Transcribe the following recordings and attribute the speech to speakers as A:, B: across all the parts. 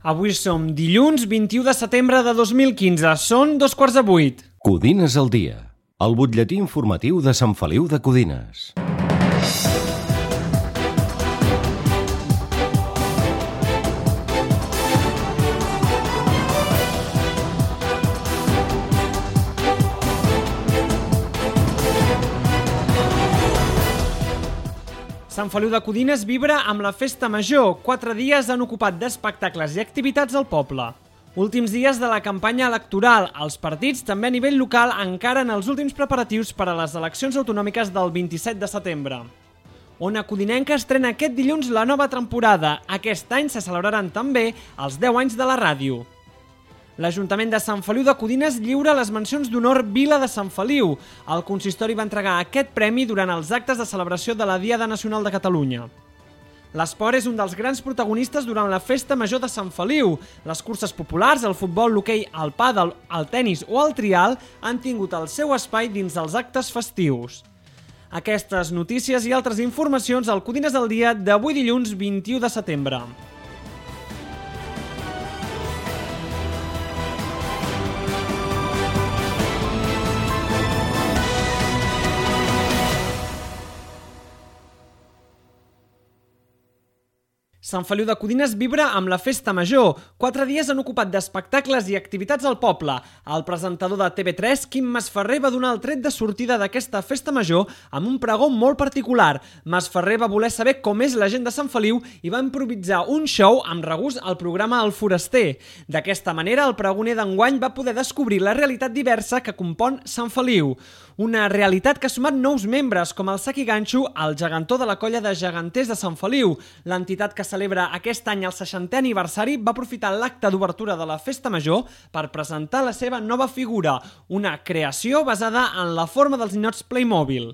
A: Avui som dilluns 21 de setembre de 2015. Són 7:15.
B: Codines al dia, el butlletí informatiu de Sant Feliu de Codines.
A: Sant Feliu de Codines vibra amb la festa major. 4 dies han ocupat d'espectacles i activitats al poble. Últims dies de la campanya electoral. Els partits, també a nivell local, encaren els últims preparatius per a les eleccions autonòmiques del 27 de setembre. Ona Codinenca estrena aquest dilluns la nova temporada. Aquest any se celebraran també els 10 anys de la ràdio. L'Ajuntament de Sant Feliu de Codines lliura les mencions d'honor Vila de Sant Feliu. El consistori va entregar aquest premi durant els actes de celebració de la Diada Nacional de Catalunya. L'esport és un dels grans protagonistes durant la festa major de Sant Feliu. Les curses populars, el futbol, l'hoquei, el pàdel, el tennis o el trial han tingut el seu espai dins dels actes festius. Aquestes notícies i altres informacions al Codines al dia d'avui dilluns 21 de setembre. Sant Feliu de Codines vibra amb la festa major. 4 dies han ocupat d'espectacles i activitats al poble. El presentador de TV3, Quim Masferrer, va donar el tret de sortida d'aquesta festa major amb un pregó molt particular. Masferrer va voler saber com és la gent de Sant Feliu i va improvisar un show amb regust al programa El Foraster. D'aquesta manera, el pregoner d'enguany va poder descobrir la realitat diversa que compon Sant Feliu. Una realitat que ha sumat nous membres, com el Saki Ganxo, el gegantó de la colla de geganters de Sant Feliu. L'entitat que celebra aquest any el 60è aniversari va aprofitar l'acte d'obertura de la festa major per presentar la seva nova figura, una creació basada en la forma dels ninots Playmobil.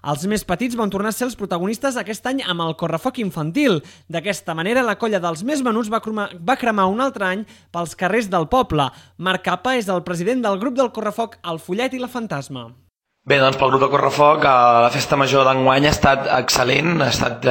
A: Els més petits van tornar a ser els protagonistes aquest any amb el correfoc infantil. D'aquesta manera, la colla dels més menuts va cremar un altre any pels carrers del poble. Marc Capa és el president del grup del correfoc El Follet i la Fantasma.
C: Bé, doncs pel grup de Correfoc la festa major d'enguany ha estat excel·lent, ha estat,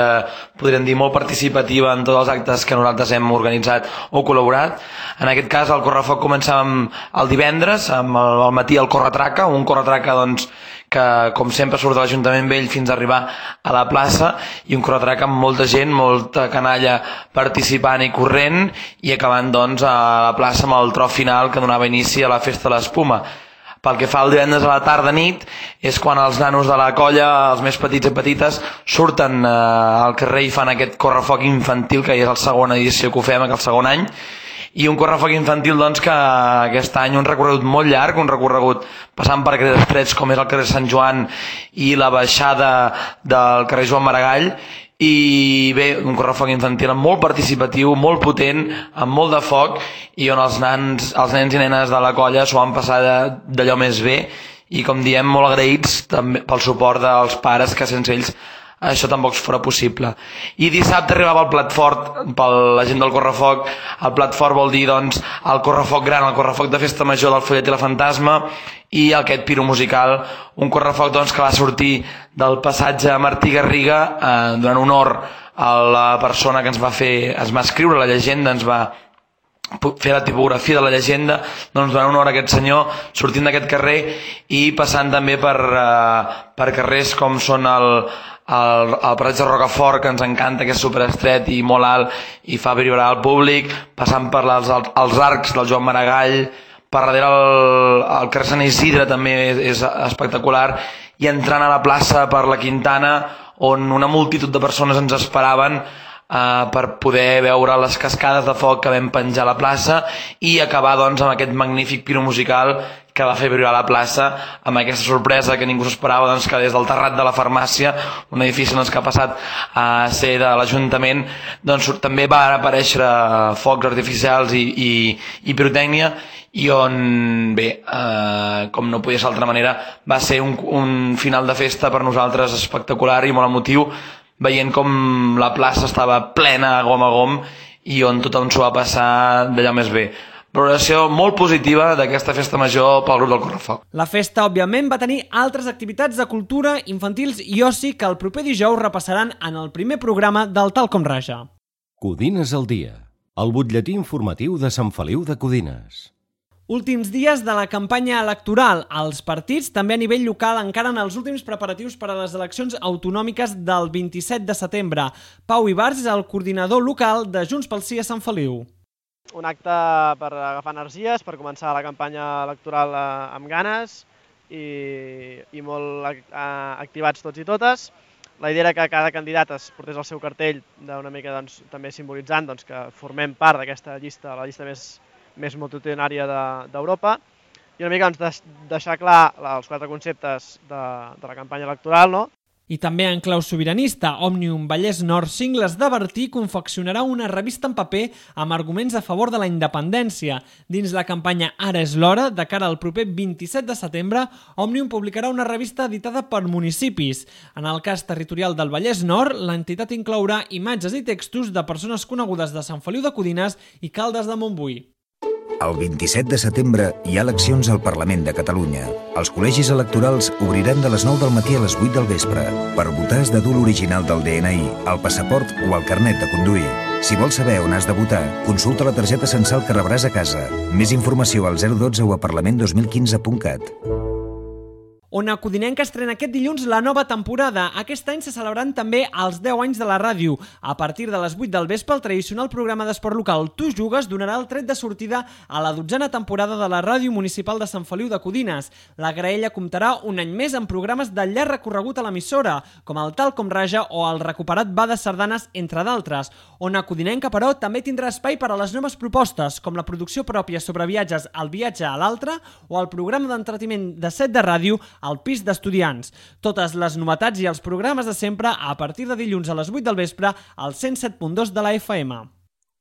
C: podríem dir, molt participativa en tots els actes que nosaltres hem organitzat o col·laborat. En aquest cas el Correfoc començàvem el divendres, al matí el Corretraca, un Corretraca doncs, que com sempre surt de l'Ajuntament Vell fins a arribar a la plaça, i un Corretraca amb molta gent, molta canalla participant i corrent, i acabant doncs a la plaça amb el tro final que donava inici a la festa de l'Espuma. Pel que fa el divendres a la tarda-nit és quan els nanos de la colla, els més petits i petites, surten al carrer i fan aquest correfoc infantil, que és la segona edició que ho fem, el segon any, i un correfoc infantil doncs, que aquest any un recorregut molt llarg, un recorregut passant per carrers estrets com és el carrer Sant Joan i la baixada del carrer Joan Maragall, i bé, un correfoc infantil molt participatiu, molt potent, amb molt de foc, i on els nens i nenes de la colla s'ho van passar d'allò més bé, i com diem, molt agraïts també pel suport dels pares, que sense ells això tampoc fora possible. I dissabte arribava el plat fort per la gent del correfoc. El plat fort vol dir doncs el correfoc gran, el correfoc de festa major del Follet i la Fantasma, i aquest piro musical, un correfoc doncs, que va sortir del passatge Martí Garriga donant honor a la persona que ens va escriure la llegenda, ens va fer la tipografia de la llegenda, doncs donant honor a aquest senyor, sortint d'aquest carrer i passant també per carrers com són el paratge de Rocafort, que ens encanta, que és superestret i molt alt i fa vibrar al públic, passant per els arcs del Joan Maragall, per darrere el carrer Sant Isidre també és espectacular, i entrant a la plaça per la Quintana, on una multitud de persones ens esperaven per poder veure les cascades de foc que vam penjar a la plaça, i acabar doncs amb aquest magnífic piro musical que va fer vibrar la plaça, amb aquesta sorpresa que ningú s'esperava, doncs, que des del terrat de la farmàcia, un edifici doncs, que ha passat a ser de l'Ajuntament, doncs, també van aparèixer focs artificials i pirotècnia, i on, bé, com no podia ser d'altra manera, va ser un final de festa per nosaltres espectacular i molt emotiu, veient com la plaça estava plena gom a gom i on tothom s'ho va passar d'allò més bé. Valoració molt positiva d'aquesta festa major pel grup del Correfoc.
A: La festa, òbviament, va tenir altres activitats de cultura, infantils i oci que el proper dijous repassaran en el primer programa del Tal com Raja.
B: Codines al dia. El butlletí informatiu de Sant Feliu de Codines.
A: Últims dies de la campanya electoral. Els partits, també a nivell local, encaren els últims preparatius per a les eleccions autonòmiques del 27 de setembre. Pau Ibars és el coordinador local de Junts pel Sí a Sant Feliu.
D: Un acte per agafar energies, per començar la campanya electoral amb ganes i molt activats tots i totes. La idea era que cada candidat es portés el seu cartell d'una mica també simbolitzant que formem part d'aquesta llista, la llista més multitudinària d'Europa, i una mica deixar clar els 4 conceptes de la campanya electoral, no?
A: I també en clau sobiranista, Òmnium Vallès Nord Cingles de Bertí confeccionarà una revista en paper amb arguments a favor de la independència. Dins la campanya Ara és l'hora, de cara al proper 27 de setembre, Òmnium publicarà una revista editada per municipis. En el cas territorial del Vallès Nord, l'entitat inclourà imatges i textos de persones conegudes de Sant Feliu de Codines i Caldes de Montbui.
E: El 27 de setembre hi ha eleccions al Parlament de Catalunya. Els col·legis electorals obriran de les 9 del matí a les 8 del vespre. Per votar has de dur l'original del DNI, el passaport o el carnet de conduir. Si vols saber on has de votar, consulta la targeta censal que rebràs a casa. Més informació al 012 o a parlament2015.cat.
A: Ona Codinenca estrena aquest dilluns la nova temporada. Aquest any se celebraran també els 10 anys de la ràdio. A partir de les 8 del vespre, el tradicional programa d'esport local Tu Jugues donarà el tret de sortida a la 12a temporada de la Ràdio Municipal de Sant Feliu de Codines. La graella comptarà un any més amb programes de llarg recorregut a l'emissora, com el Tal com Raja o el recuperat Va de Sardanes, entre d'altres. Ona Codinenca, però, també tindrà espai per a les noves propostes, com la producció pròpia sobre viatges al viatge a l'altre o el programa d'entreteniment de set de ràdio al pis d'estudiants. Totes les novetats i els programes de sempre a partir de dilluns a les 8 del vespre al 107.2 de la FM.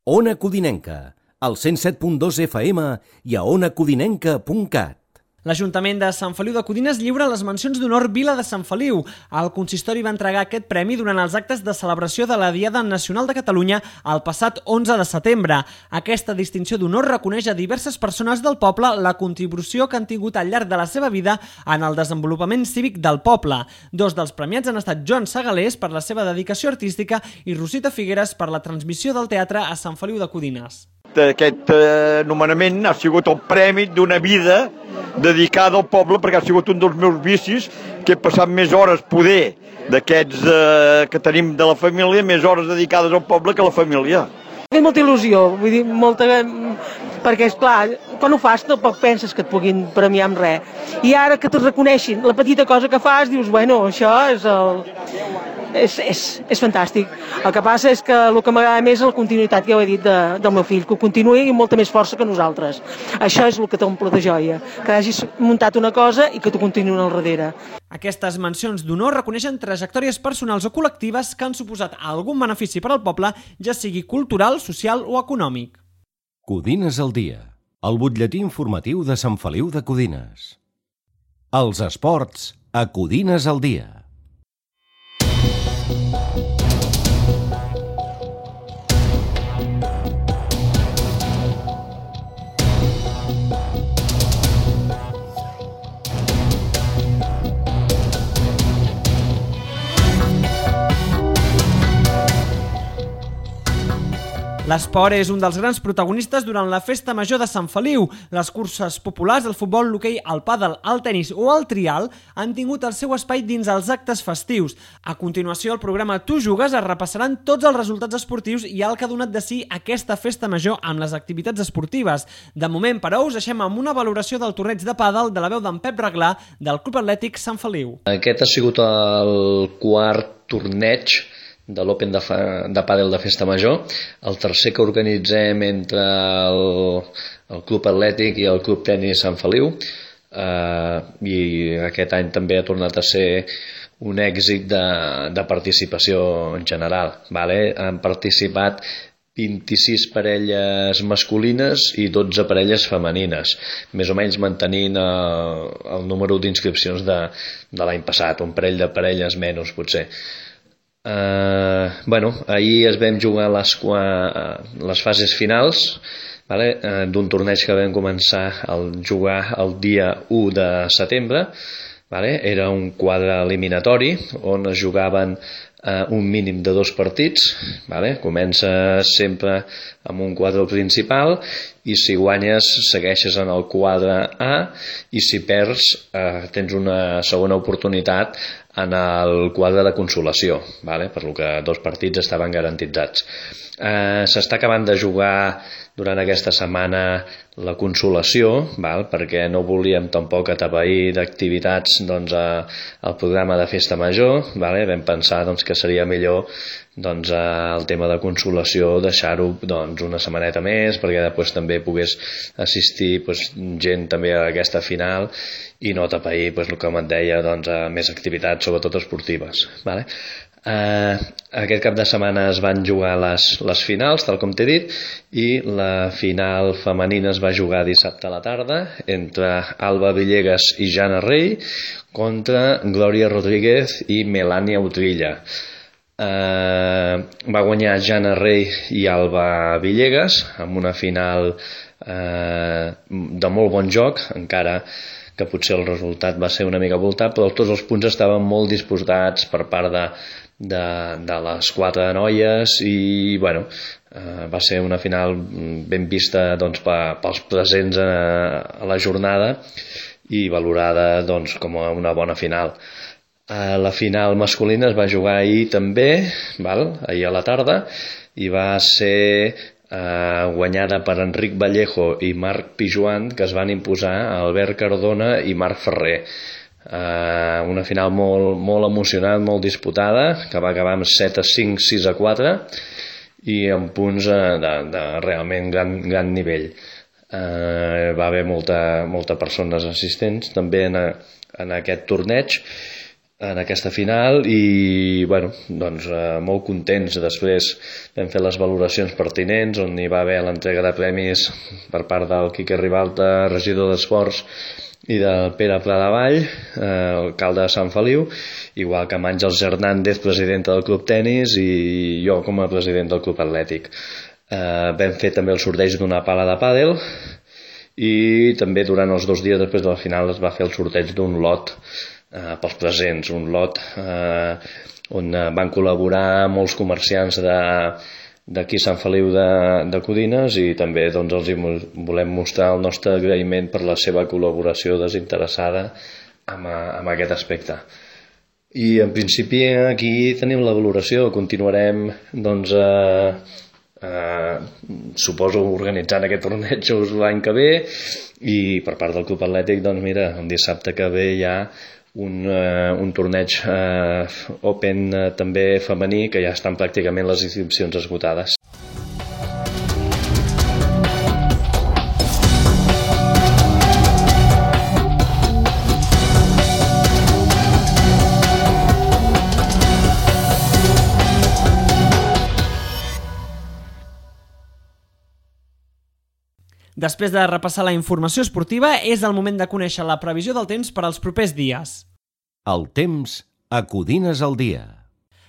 B: Ona Codinenca, al 107.2 FM i a onacodinenca.cat.
A: L'Ajuntament de Sant Feliu de Codines lliura les mencions d'honor Vila de Sant Feliu. El consistori va entregar aquest premi durant els actes de celebració de la Diada Nacional de Catalunya el passat 11 de setembre. Aquesta distinció d'honor reconeix a diverses persones del poble la contribució que han tingut al llarg de la seva vida en el desenvolupament cívic del poble. 2 dels premiats han estat Joan Segalés per la seva dedicació artística i Rosita Figueres per la transmissió del teatre a Sant Feliu de Codines.
F: Aquest nomenament ha sigut el premi d'una vida dedicada al poble, perquè ha sigut un dels meus vicis, que he passat més hores poder d'aquests que tenim de la família, més hores dedicades al poble que a la família.
G: Té molta il·lusió, vull dir, perquè, esclar, quan ho fas tampoc penses que et puguin premiar amb res. I ara que te reconeixin la petita cosa que fas, dius, bueno, això és fantàstic. El que passa és que el que m'agrada més és la continuïtat, que ja ho he dit, del meu fill, que ho continuï amb molta més força que nosaltres. Això és el que t'omple de joia, que hagis muntat una cosa i que t'ho continuïn al darrere.
A: Aquestes mencions d'honor reconeixen trajectòries personals o col·lectives que han suposat algun benefici per al poble, ja sigui cultural, social o econòmic.
B: Codines al dia, el butlletí informatiu de Sant Feliu de Codines. Els esports a Codines al dia.
A: L'esport és un dels grans protagonistes durant la Festa Major de Sant Feliu. Les curses populars, el futbol, l'hoquei, el pàdel, el tenis o el trial han tingut el seu espai dins els actes festius. A continuació, al programa Tu Jugues es repassaran tots els resultats esportius i el que ha donat de si aquesta Festa Major amb les activitats esportives. De moment, però, us deixem amb una valoració del torneig de pàdel de la veu d'en Pep Reglà del Club Atlètic Sant Feliu.
H: Aquest ha sigut el quart torneig de l'Open de pàdel de Festa Major, el tercer que organitzem entre el Club Atlètic i el Club Tenis Sant Feliu, i aquest any també ha tornat a ser un èxit de participació en general. Han participat 26 parelles masculines i 12 parelles femenines, més o menys mantenint el número d'inscripcions de l'any passat, un parell de parelles menys potser. Ahir es vam jugar les fases finals d'un torneig que vam començar a jugar el dia 1 de setembre. Era un quadre eliminatori on es jugaven un mínim de 2 partits, vale? Comença sempre amb un quadre principal i si guanyes segueixes en el quadre A i si perds tens una segona oportunitat en el quadre de consolació, vale? Per lo que 2 partits estaven garantitzats. S'està acabant de jugar durant aquesta setmana la consolació, val? Perquè no volíem tampoc atapeir d'activitats el programa de festa major, vale? Vam pensar que seria millor el tema de consolació deixar-ho una setmaneta més perquè després també pogués assistir gent també a aquesta final i no atapeir el que et deia més activitats sobretot esportives, vale? Aquest cap de setmana es van jugar les finals, tal com t'he dit, i la final femenina es va jugar dissabte a la tarda entre Alba Villegas i Jana Rey contra Glòria Rodríguez i Melania Utrilla. Va guanyar Jana Rey i Alba Villegas amb una final de molt bon joc, encara que potser el resultat va ser una mica voltat, però tots els punts estaven molt disputats per part de les 4 noies i va ser una final ben vista pels presents a la jornada i valorada com una bona final. La final masculina es va jugar ahir també, ahir a la tarda, i va ser guanyada per Enric Vallejo i Marc Pijuan, que es van imposar a Albert Cardona i Marc Ferrer. Una final molt emocionant, molt disputada, que va acabar amb 7-5, 6-4 i amb punts de realment gran nivell. Va haver molta persones assistents també en aquest torneig, en aquesta final i molt contents. Després vam fer les valoracions pertinents on hi va haver l'entrega de premis per part del Quique Ribalta, regidor d'Esports, i del Pere Pladevall, alcalde de Sant Feliu, igual que amb Àngels Hernández, presidenta del Club Tenis, i jo com a president del Club Atlètic. Vam fer també el sorteig d'una pala de pàdel i també durant els 2 dies després de la final es va fer el sorteig d'un lot pels presents, un lot on van col·laborar molts comerciants d'aquí Sant Feliu de Codines i també els volem mostrar el nostre agraïment per la seva col·laboració desinteressada amb aquest aspecte. I en principi aquí tenim la valoració, continuarem suposo organitzant aquest torneig l'any que ve i per part del Club Atlètic el dissabte que ve hi ha un torneig Open també femení que ja estan pràcticament les inscripcions esgotades.
A: Després de repassar la informació esportiva, és el moment de conèixer la previsió del temps per als propers dies.
B: El temps a Codines al dia.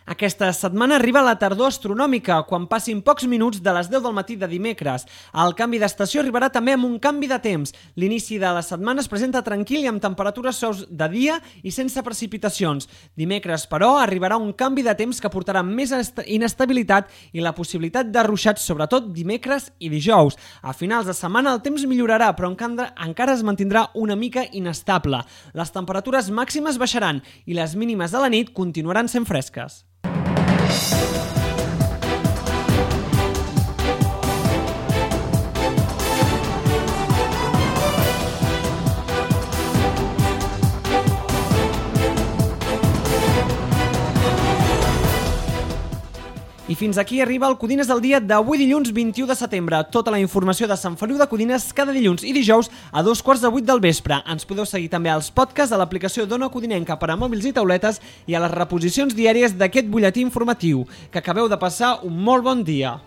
A: Aquesta setmana arriba la tardor astronòmica, quan passin pocs minuts de les 10 del matí de dimecres. El canvi d'estació arribarà també amb un canvi de temps. L'inici de la setmana es presenta tranquil i amb temperatures suaus de dia i sense precipitacions. Dimecres, però, arribarà un canvi de temps que portarà més inestabilitat i la possibilitat de ruixats, sobretot dimecres i dijous. A finals de setmana el temps millorarà, però encara es mantindrà una mica inestable. Les temperatures màximes baixaran i les mínimes de la nit continuaran sent fresques. I fins aquí arriba el Codines del dia d'avui dilluns 21 de setembre. Tota la informació de Sant Feliu de Codines cada dilluns i dijous a 7:15 del vespre. Ens podeu seguir també als podcasts a l'aplicació d'Ona Codinenca per a mòbils i tauletes i a les reposicions diàries d'aquest butlletí informatiu. Que acabeu de passar un molt bon dia.